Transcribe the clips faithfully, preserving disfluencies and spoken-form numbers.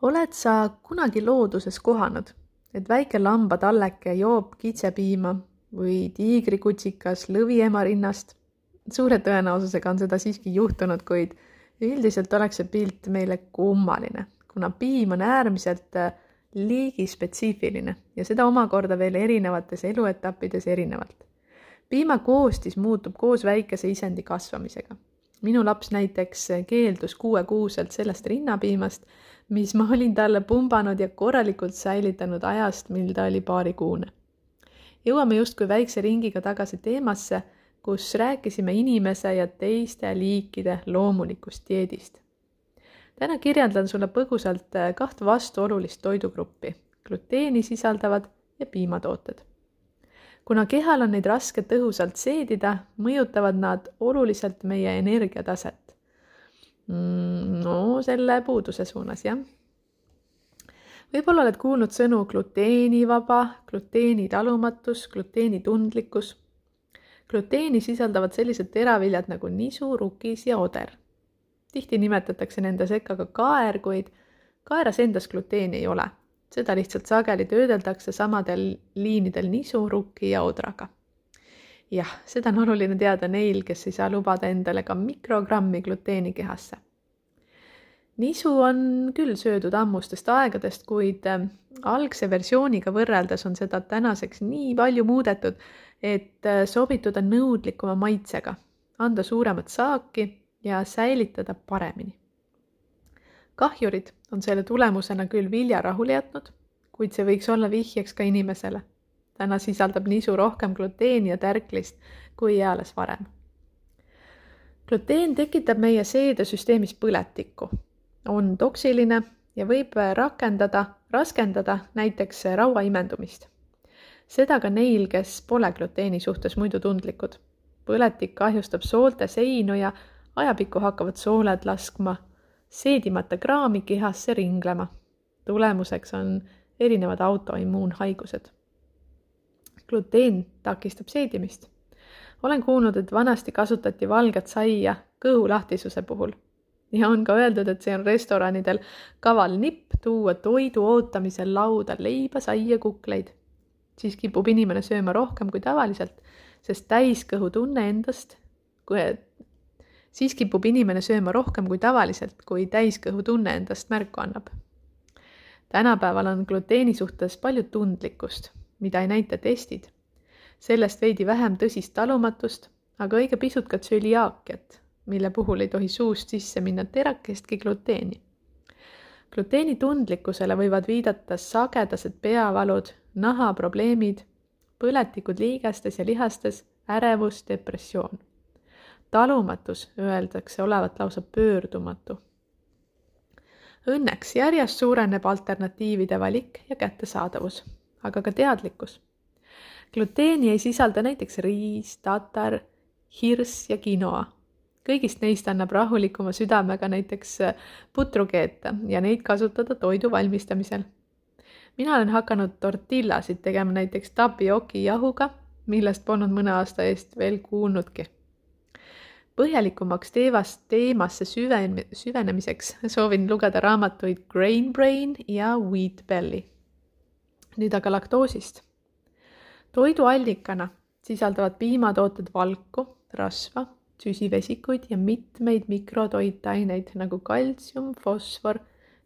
Oled sa kunagi looduses kohanud, et väike lambatalleke joob kitsepiima või tiigrikutsikas lõviema rinnast? Suure tõenäosusega on seda siiski juhtunud, kuid üldiselt oleks see pilt meile kummaline, kuna piim on äärmiselt liigispetsiifiline ja seda omakorda veel erinevates eluetappides erinevalt. Piima koostis muutub koos väikese isendi kasvamisega. Minu laps näiteks keeldus kuuekuuselt sellest rinnapiimast, mis ma olin talle pumbanud ja korralikult säilitanud ajast, mil ta oli paarikuune. Jõuame justkui väikse ringiga tagasi teemasse, kus rääkisime inimese ja teiste liikide loomulikust dieedist. Täna kirjeldan sulle põgusalt kahte vastuolulist toidugruppi, gluteeni sisaldavad ja piimatooted. Kuna kehal on neid raske tõhusalt seedida, mõjutavad nad oluliselt meie energiataset. No, selle puuduse suunas, jah. Võib-olla oled kuulnud sõnu gluteenivaba, gluteenitalumatus, gluteenitundlikkus. Gluteeni sisaldavad sellised teraviljad nagu nisu, rukis ja oder. Tihti nimetatakse nende sekka ka kaer, kuid kaeras endas gluteeni ei ole. Seda lihtsalt sageli töödeldakse samadel liinidel nisu, rukki ja odraga. Jah, seda on oluline teada neil, kes ei saa lubada endale ka mikrogrammi gluteeni kehasse. Nisu on küll söödud ammustest aegadest, kuid algse versiooniga võrreldes on seda tänaseks nii palju muudetud, et sobituda nõudlikuma maitsega, anda suuremat saaki ja säilitada paremini. Kahjurid on selle tulemusena küll vilja rahule jätnud, kuid see võiks olla vihjeks ka inimesele. Täna sisaldab nisu rohkem gluteeni ja tärklist kui eales varem. Gluteen tekitab meie seedesüsteemis põletikku, on toksiline ja võib rakendada, raskendada näiteks raua imendumist. Seda ka neil, kes pole gluteeni suhtes muidu tundlikud. Põletik kahjustab soolte seinu ja ajapikku hakkavad sooled laskma seedimata kraami kehasse ringlema. Tulemuseks on erinevad autoimmuunhaigused. Gluteen takistab seedimist. Olen kuulnud, et vanasti kasutati valget saia kõhulahtisuse puhul. Ja on ka öeldud, et see on restoranidel kaval nipp tuua toidu ootamisel lauda leiba, saia, kukleid. Siis kipub inimene sööma rohkem kui tavaliselt, sest täiskõhu tunne endast, kui Siis kipub inimene sööma rohkem kui tavaliselt, kui täiskõhu tunne endast märku annab. Tänapäeval on gluteeni suhtes palju tundlikkust, mida ei näita testid. Sellest veidi vähem tõsist talumatust, aga õige pisut ka tsöliaakiat, mille puhul ei tohi suust sisse minna terakestki gluteeni. Gluteeni tundlikkusele võivad viidata sagedased peavalud, nahaprobleemid, põletikud liigestes ja lihastes, ärevus, depressioon. Talumatus öeldakse olevat lausa pöördumatu. Õnneks järjest suureneb alternatiivide valik ja kättesaadavus, aga ka teadlikkus. Gluteeni ei sisalda näiteks riis, tatar, hirs ja quinoa. Kõigist neist annab rahulikuma südamega näiteks putru keeta ja neid kasutada toidu valmistamisel. Mina olen hakanud tortillasid tegema näiteks tapioki jahuga, millest polnud mõne aasta eest veel kuulnudki. Põhjalikumaks teevast teemasse süven, süvenemiseks soovin lugeda raamatuid Grain Brain ja Wheat Belly. Nüüd aga laktoosist. Toiduallikana sisaldavad piimatooted valku, rasva, süsivesikuid ja mitmeid mikrotoitaineid nagu kaltsium, fosfor,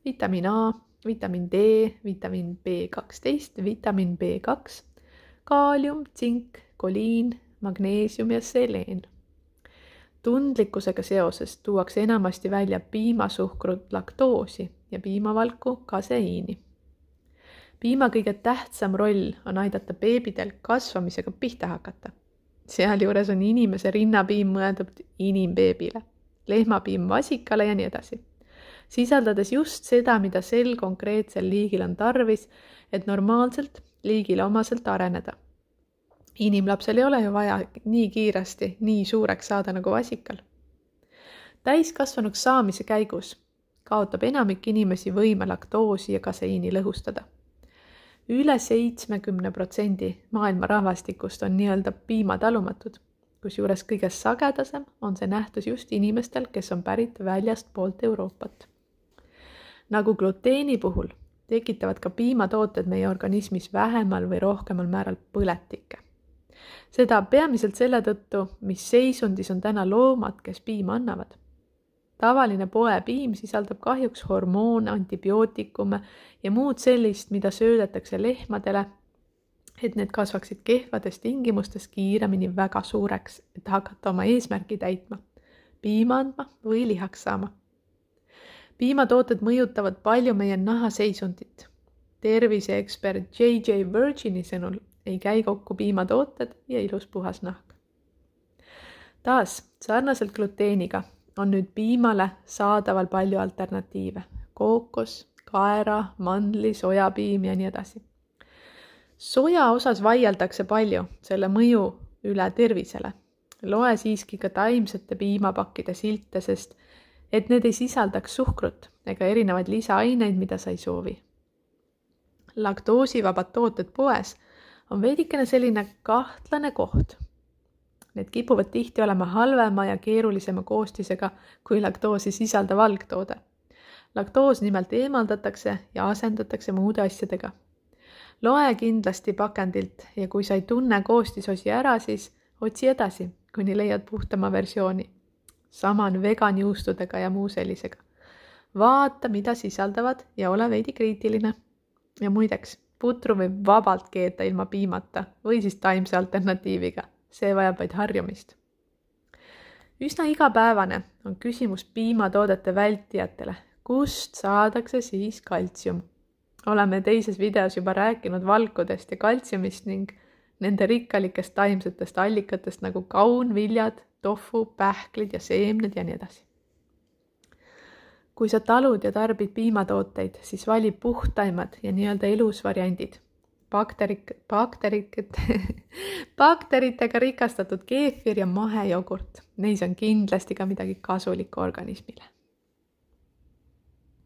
vitamiin A, vitamiin D, vitamiin B kaksteist, vitamiin B kaks, kaalium, tsink, koliin, magneesium ja seleen. Tundlikkusega seoses tuuakse enamasti välja piimasuhkrut laktoosi ja piimavalku kaseiini. Piima kõige tähtsam roll on aidata beebidel kasvamisega pihta hakata. Sealjuures on inimese rinnapiim mõeldud inimbeebile, lehmapiim vasikale ja nii edasi. Sisaldades just seda, mida sel konkreetsel liigil on tarvis, et normaalselt liigile omaselt areneda. Inimlapsel ei ole ju vaja nii kiiresti, nii suureks saada nagu vasikal. Täiskasvanuks saamise käigus kaotab enamik inimesi võime laktoosi ja kaseiini lõhustada. Üle seitsekümmend protsenti maailma rahvastikust on nii-öelda piimatalumatud, kusjuures kõige sagedasem on see nähtus just inimestel, kes on pärit väljast poolt Euroopat. Nagu gluteeni puhul tekitavad ka piimatooted meie organismis vähemal või rohkemal määral põletikke. Seda peamiselt selle tõttu, mis seisundis on täna loomad, kes piima annavad. Tavaline poepiim sisaldab kahjuks hormoone, antibiootikume ja muud sellist, mida söödetakse lehmadele, et need kasvaksid kehvades tingimustes kiiremini väga suureks, et hakata oma eesmärki täitma, piima andma või lihaks saama. Piimatooted mõjutavad palju meie nahaseisundit. Terviseekspert J J Virgini sõnul ei käi kokku piimatooted ja ilus puhas nahk. Taas, sarnaselt gluteeniga on nüüd piimale saadaval palju alternatiive. Kookos, kaera, mandli, sojapiim ja nii edasi. Soja osas vaieldakse palju selle mõju üle tervisele. Loe siiski ka taimsete piimapakkide silte, sest et need ei sisaldaks suhkrut ega erinevaid lisaaineid, mida sa ei soovi. Laktoosivabad tooted poes on veidikene selline kahtlane koht. Need kipuvad tihti olema halvema ja keerulisema koostisega kui laktoosi sisaldav algtoode. Laktoos nimelt eemaldatakse ja asendatakse muude asjadega. Loe kindlasti pakendilt ja kui sa ei tunne koostisosi ära, siis otsi edasi, kuni leiad puhtama versiooni. Sama on veganjuustudega ja muu sellisega. Vaata, mida sisaldavad ja ole veidi kriitiline. Ja muideks, putru võib vabalt keeta ilma piimata või siis taimse alternatiiviga. See vajab vaid harjumist. Üsna igapäevane on küsimus piimatoodete vältijatele. Kust saadakse siis kaltsium? Oleme teises videos juba rääkinud valkudest ja kaltsiumist ning nende rikkalikest taimsetest allikatest nagu kaun, viljad, tofu, pähklid ja seemned ja nii edasi. Kui sa talud ja tarbid piimatooteid, siis vali puhtaimad ja nii-öelda elus variandid. Bakterik, bakterik, bakteritega rikastatud keefir ja mahejogurt. Neis on kindlasti ka midagi kasulikku organismile.